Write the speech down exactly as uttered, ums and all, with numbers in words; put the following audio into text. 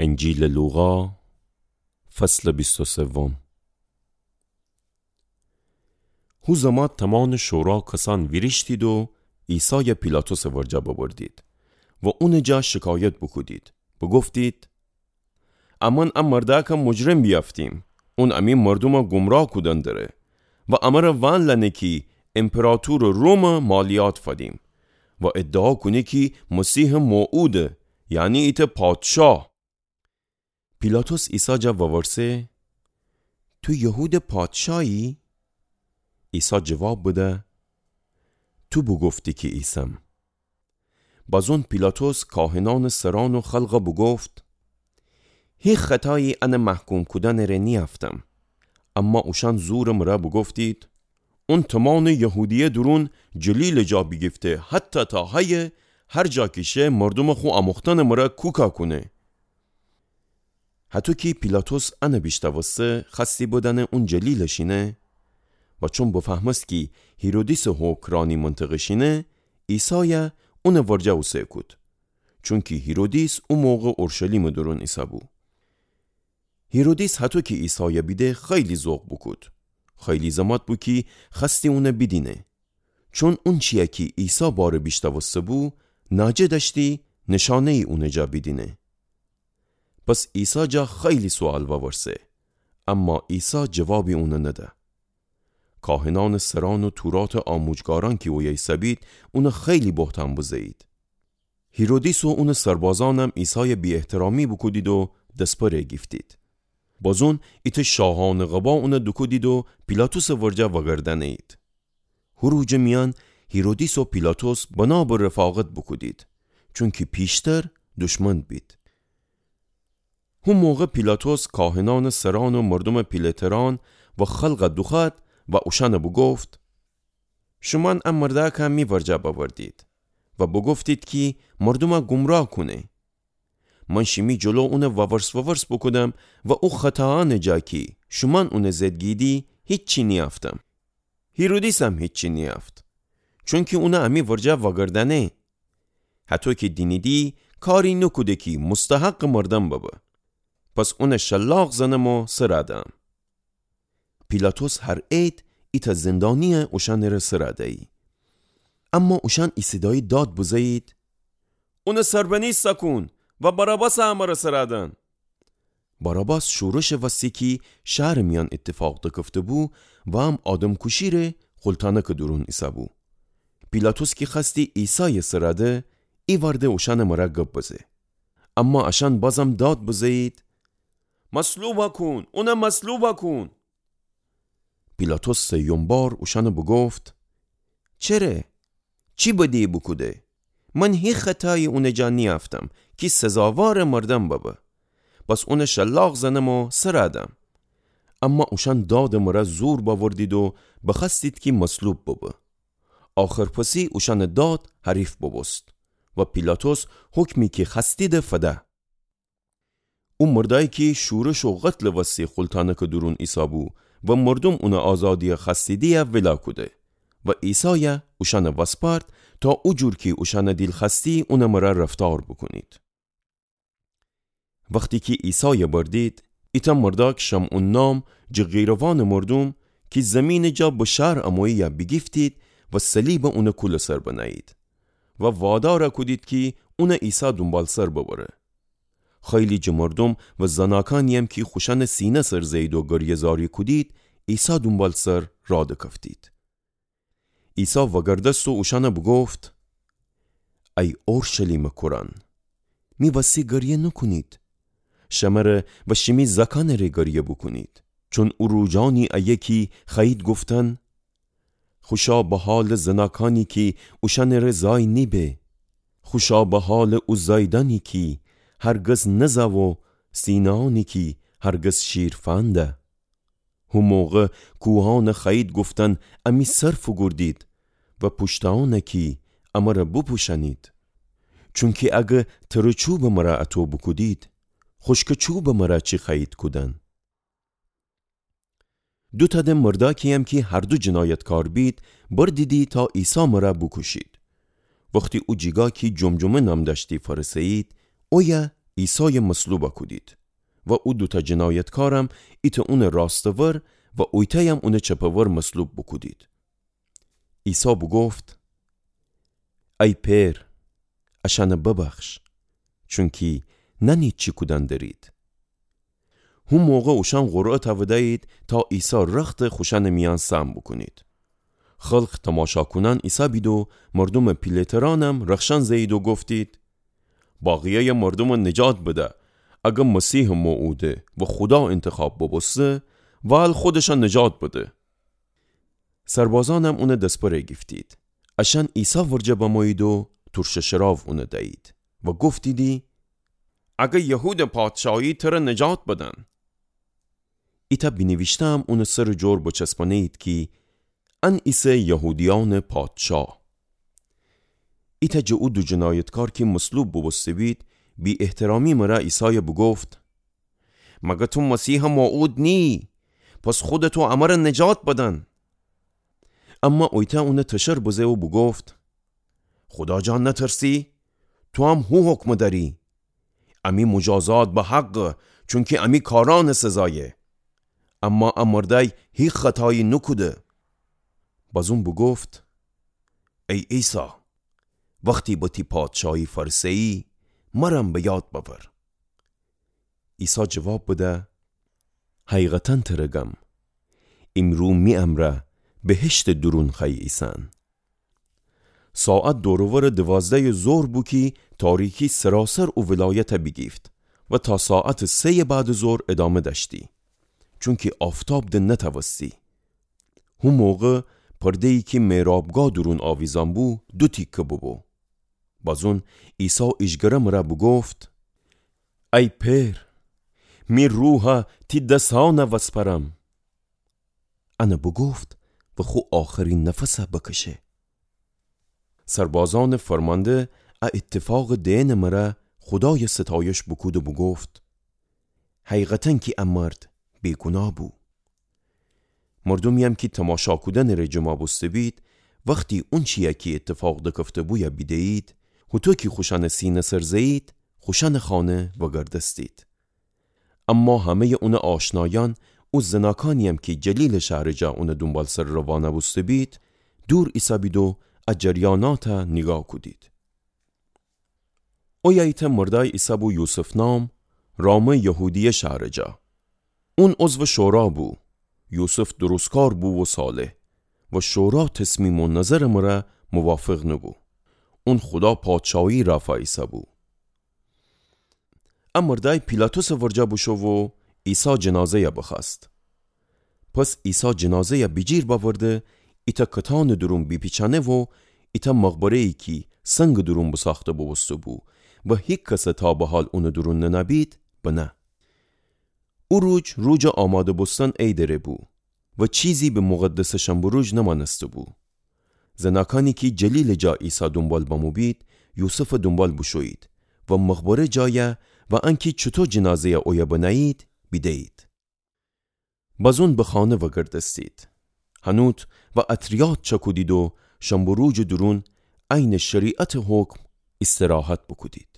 انجیلٚ لوقا، فصلٚ بیست و سوم. هو زمات تمانٚ شورا کسأن ویریشتید و عیسایَ پیلاطسٚ ورجه ببردید و اونٚ جا شکایت بوکودید، بوگفتید: امأن ا مردأکَ مجرم بیأفتیم، اون امی مردومَ گمراه کودن دره و امرَ وأن لأنه کی ایمپراطورٚ رومَ مالیات فدیم و ادعا کونه کی مسیحٚ موعوده، یعنی ایتأ پادشاه. پیلاطس عیسی جا وورسه: تو یهودٚ پادشاهی؟ عیسی جواب بده: تو بوگفتی کی ایسم. بازون پیلاطس کاهنأنٚ سرأن و خلقَ بوگفت: هیچ خطایی انٚ محکوم کودنٚ ره نیأفتم. اما اوشأن زورٚ مرأ بوگفتید: اون تمانٚ یهودیه دورون جلیلٚ جا بیگیفته، حتی تا هیه هر جا کی شه مردومٚ خو آموختنٚ مرأ کوکا کونه. هطو کی پیلاطس انَ بیشنوسته، خوأستی بدأنه اون جلیلَ شینه. و چون بفهمست کی هیرودیسٚ حکم رأ انی منطقه شینه، عیسایَ اونٚ ورجه اوسه کود. چونکی هیرودیس او موقع اورشلیمٚ دورون ایسه‌بو. هیرودیس هطو کی عیسایَ بیده خیلی ذوق بوکود. خیلی زمات بو کی خوأستی اونَ بیدینه. چون اونچی‌یَ کی عیسی باره بیشنوسته‌بو، ناجه دأشتی نشانه‌یی اونٚ جا بیدینه. پس عیسی جا خیلی سوئال وورسه، اما عیسی جوابی اونَ نده. کاهنأنٚ سرأن و توراتٚ آموجگارأن کی اویه ایسه‌بید، اونَ خیلی بهتأن بزه‌یید. هیرودیس و اونٚ سربازأنم عیسایَ بی‌احترامی بوکودید و دسپره گیفتید. بازون ایتأ شاهأنٚ قبا اونَ دوکودید و پیلاطسٚ ورجه وأگردأنه‌یید. هو روجٚ میأن هیرودیس و پیلاطس بنابٚ رفاقت بوکودید، چونکی پیشتر دشمن بید. هو موقع پیلاطس کاهنأنٚ سرأن و مردومٚ پیله‌ترأن و خلقَ دوخوأد و اوشأنَ بوگفت: شومأن ا مردأکَ می ورجه بأوردید و بوگفتید کی مردومَ گمراه کونه. من شیمی جلو اونَ وورس وورس بوکودم و او خطاأنٚ جا کی شومأن اونَ زئدگیدی هیچی نیأفتم. هیرودیسم هیچی نیأفت، چونکی اونَ امی ورجه وأگردأنه. هطو کی دینیدی کاری نوکوده کی مستحقٚ مردأن ببه. پس اونَ شلاق زنم و سرَ دم. پیلاطس هر عید ایتأ زندانی‌یَ اوشأنٚره سرَ دیی. اما اوشأن ایسیدایی داد بزه‌یید: اونَ سربنی سکون و باراباسَ امرأ سرَ دن. باراباس شورشٚ وستی کی شهرٚ میأن ایتفاق دکفته‌بو و هم آدمکوشی‌ره خلتأنکٚ دورون ایسه‌بو. پیلاطس کی خوأستی عیسایَ سرَ ده، ایوأرده اوشأنٚ مرأ گب بزه. اما اشأن بازم داد بزه‌یید: مصلوبَ کون، اونَ مصلوبَ کون. پیلاطس سیوم بار اوشأنَ بوگفت: چره؟ چی بدی بوکوده؟ من هیچ خطایی اونٚ جا نیأفتم کی سزاوارٚ مردأن ببه. پس اونَ شلاق زنم و سرَ دم. اما اوشأن دادٚ مرأ زور بأوردید و بخوأستید کی مصلوب ببه. آخرپسی اوشأنٚ داد حریف بوبوست و پیلاطس حکمی کی خوأستیدی فده. او مردأیی کی شورش و قتلٚ وستی خلتأنکٚ دورون ایسه‌بو و مردوم اونٚ آزادی‌یَ خوأستیدی‌یَ ویلا کوده و عیسایَ اوشأنَ وسپارد تا او جور کی اوشأنٚ دیل خوأستی اونٚ مرأ رفتار بوکونید. وختی کی عیسایَ بردید، ایتأ مردأک شمعون نام جٚه قیروانٚ مردوم کی زیمینٚ جا به شهر امویی‌یَ بیگیفتید و صلیبَ اونٚ کولٚ سر بنه‌یید و وادارَ کودید کی اونٚ عیسی دونبالسر ببره. خیلی جٚه مردوم و زناکأنی‌یم کی خوشأنٚ سینه سر زه‌یید و گریه‌زاری کودید، عیسی دونبالسر راه دکفتید. عیسی وأگردست و اوشأنَ بوگفت: ای اورشلیمٚ کورأن، می وستی گریه نوکونید. شمره و شیمی زأکأنٚ ره گریه بوکونید. چون او روجأنی ایه کی خوأیید گفتن: خوشا به حالٚ زناکأنی کی اوشأنٚ ره زای نیبه. خوشا به حالٚ او زایدأنی کی هرگز نزأ و سینه‌أنی کی هرگز شیر فنده. هو موقع کوهأنَ خوأیید گفتن امی سر فوگوردید و پوشته‌أنَ کی امرَ بوپوشأنید. چونکی اگر ترٚ چوبٚ مرأ اطو بوکودید، خوشکٚ چوبٚ مرأ چی خوأیید کودن؟ دوتأ ده مردأکی‌یم کی هر دو جنایتکار بید، بردیدی تا عیسی مرأ بوکوشید. وختی او جیگا کی جمجمه نام دأشتی فأرسه‌یید، اویه عیسایَ مصلوبَ کودید و او دوتأ جنایتکارم ایتأ اونٚ راستٚ ور و اویتأیم اونٚ چپٚ ور مصلوب بوکودید. عیسی بوگفت: ای پئر، اشأنَ ببخش، چونکی نأنید چی کودن درید. هو موقع اوشأن قرعه تأودأیید تا عیسی رختَ خوشأنٚ میأن سهم بوکونید. خلق تماشا کونأن ایسه‌بید و مردومٚ پیله‌ترأنم رخشأن زه‌یید و گفتید: باقیه‌یٚ مردومَ نجات بده، اگر مسیحٚ موعوده و خودا اینتخاب بوبوسته، وال خودشَ نجات بده. سربازأنم اونٚ دسپره گیفتید. اشأن عیسی ورجه بمویید و تورشٚ شراو اونَ دأیید و گفتیدی: اگر یهودٚ پادشایی تره نجات بدن. ایتأ بینیویشته‌م اونٚ سرٚ جور بچسبانه‌یید کی: ان ایسه یهودیأنٚ پادشا. ایتأ جٚه او دو جنایتکار کی مصلوب بوبوسته‌بید، بی‌احترامی مرأ عیسایَ بوگفت: مگر تو مسیحٚ موعود نییی؟ پس خودتو امرأ نجات بدن. اما اویتأ اونَ تشر بزه و بوگفت: خودا جا نترسی؟ توام هو حکمَ دأری. امی مجازات به حقه، چونکی امی کارأنٚ سزایه. اما ا مردأی هیکٚ خطایی نوکوده. بازون بوگفت: ای عیسی، وختی به تی پادشایی فأرسه‌یی، مرم به یاد بأور. عیسی جواب بده: حقیقتاً تره گم، ایمرو می امرأ بهشتٚ دورون خوأیی ایسن. ساعت دور و ورٚ دوازده‌یٚ ظهر بو کی تاریکی سراسر او ولایتَ بیگیفت و تا ساعتٚ سه‌یٚ بعدٚ ظهر ادامه دأشتی، چونکی آفتاب د نتأوستی. هو موقع پرده‌یی کی محرابگاه دورون آویزأن بو، دو تیکه بوبو. بازون عیسی ایجگره مرأ بوگفت: ای پئر، می روحَ تی دسأنَ وسپرم. انَ بوگفت و خو آخرین نفسَ بکشه. سربازأنٚ فرمانده ا ایتفاقٚ دئنٚ مرأ خودایَ ستایش بوکود و بوگفت: حقیقتاً کی ا مرد بیگوناه بو. مردومی‌یم کی تماشا کودنٚ ره جمع بوسته‌بید، وختی اونچی‌یَ کی ایتفاق دکفته‌بویَ بیده‌یید، هوطو کی خوشأنٚ سینه سر زه‌یید، خوشأنٚ خانه وگردستید. اما همه‌یٚ اونٚ آشنایأن، او زناکأنی‌یم کی جلیلٚ شهرٚ جا اونٚ دونبالسر روانه بوسته‌بید، دور ایسه‌بید و ا جریاناتَ نیگاه کودید. اویه ایتأ مردأی ایسه‌بو یوسف نام، رامٚ یهودیه شهرٚ جا. اون عضوٚ شورا بو. یوسف درستکار بو و صالح و شورا تصمیم و نظرٚ مرأ موافق نوبو. اون خودا پادشاهی رأفا ایسه‌بو. ا مردأی پیلاطسٚ ورجه بوشو و عیسی جنازه‌یَ بخوأست. پس عیسی جنازه‌یَ بیجیر بأورده، ایتأ کتانٚ دورون بیپیچأنه و ایتأ مقبره‌یی کی سنگٚ دورون بوساخته بوبوسته‌بو و هیکسَ تا به حال اونٚ دورون ننه‌بید، بنه. او روج، روجٚ آماده بوستن عیدٚ ره بو و چیزی به مقدسٚ شنبه روج نمأنسته‌بو. زناکأنی کی جلیلٚ جا عیسی دونبال بموبید، یوسفٚ دونبال بوشویید و مقبره جایَ و انکی چوطو جنازه‌یَ اویه بنه‌یید، بیده‌یید. بازون به خانه وگردستید. هنوت و عطریات چأکودید و شنبه روجٚ دورون عینٚ شریعتٚ حکم استراحت بوکودید.